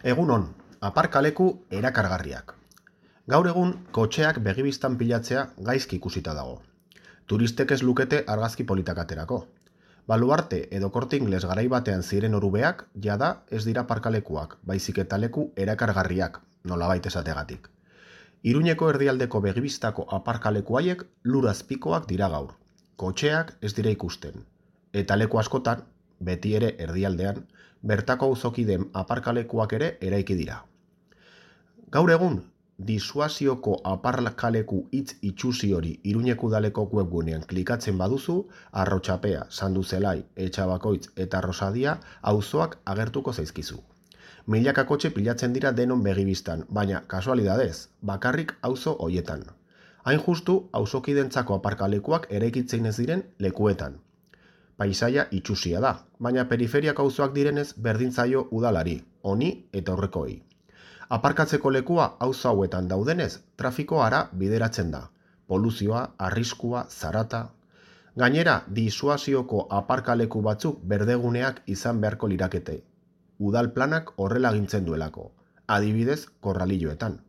Egun on, aparkaleku erakargarriak. Gaur egun, kotxeak begibistan pilatzea gaizki ikusita dago. Turistek ez lukete argazki politak aterako. Baluarte edo Corte Inglés garai batean ziren orubeak, jada ez dira aparkalekuak, baizik eta leku erakargarriak, nolabait esategatik. Iruñeko erdialdeko begibistako aparkaleku haiek lurazpikoak dira gaur. Kotxeak ez dira ikusten. Eta leku askotan, beti ere erdialdean, bertako auzokideen aparkalekuak ere eraiki dira. Gaur egun, disuasioko aparkaleku hitz itsusi hori Iruñeko udaleko webgunean klikatzen baduzu, Arrotxapea, Sanduzelai, Etxabakoitz eta Rosadia auzoak agertuko zaizkizu. Milaka kotxe pilatzen dira denon begibistan, baina kasualidadez, bakarrik auzo hoietan. Hain justu, auzokidentzako aparkalekuak eraikitzen ez diren lekuetan. Paisaia itsusia da, baina periferiak auzoak direnez berdin zaio udalari, honi eta aurrekoei. Aparkatzeko lekua auzo hauetan daudenez, trafiko ara bideratzen da. Poluzioa, arriskua, zarata. Gainera, disuasioko aparkaleku batzuk berdeguneak izan beharko lirakete. Udal planak horrela agintzen duelako, adibidez korralilloetan.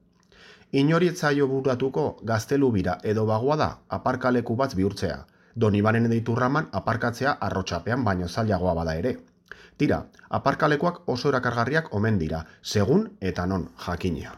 Inori ez zaio buratuko Gaztelubira edo Bagoada aparkaleku bat bihurtzea, Donibanen edo Iturraman aparkatzea Arrotxapean baino zailagoa bada ere. Tira, aparkalekuak oso erakargarriak omen dira, segun eta non jakina.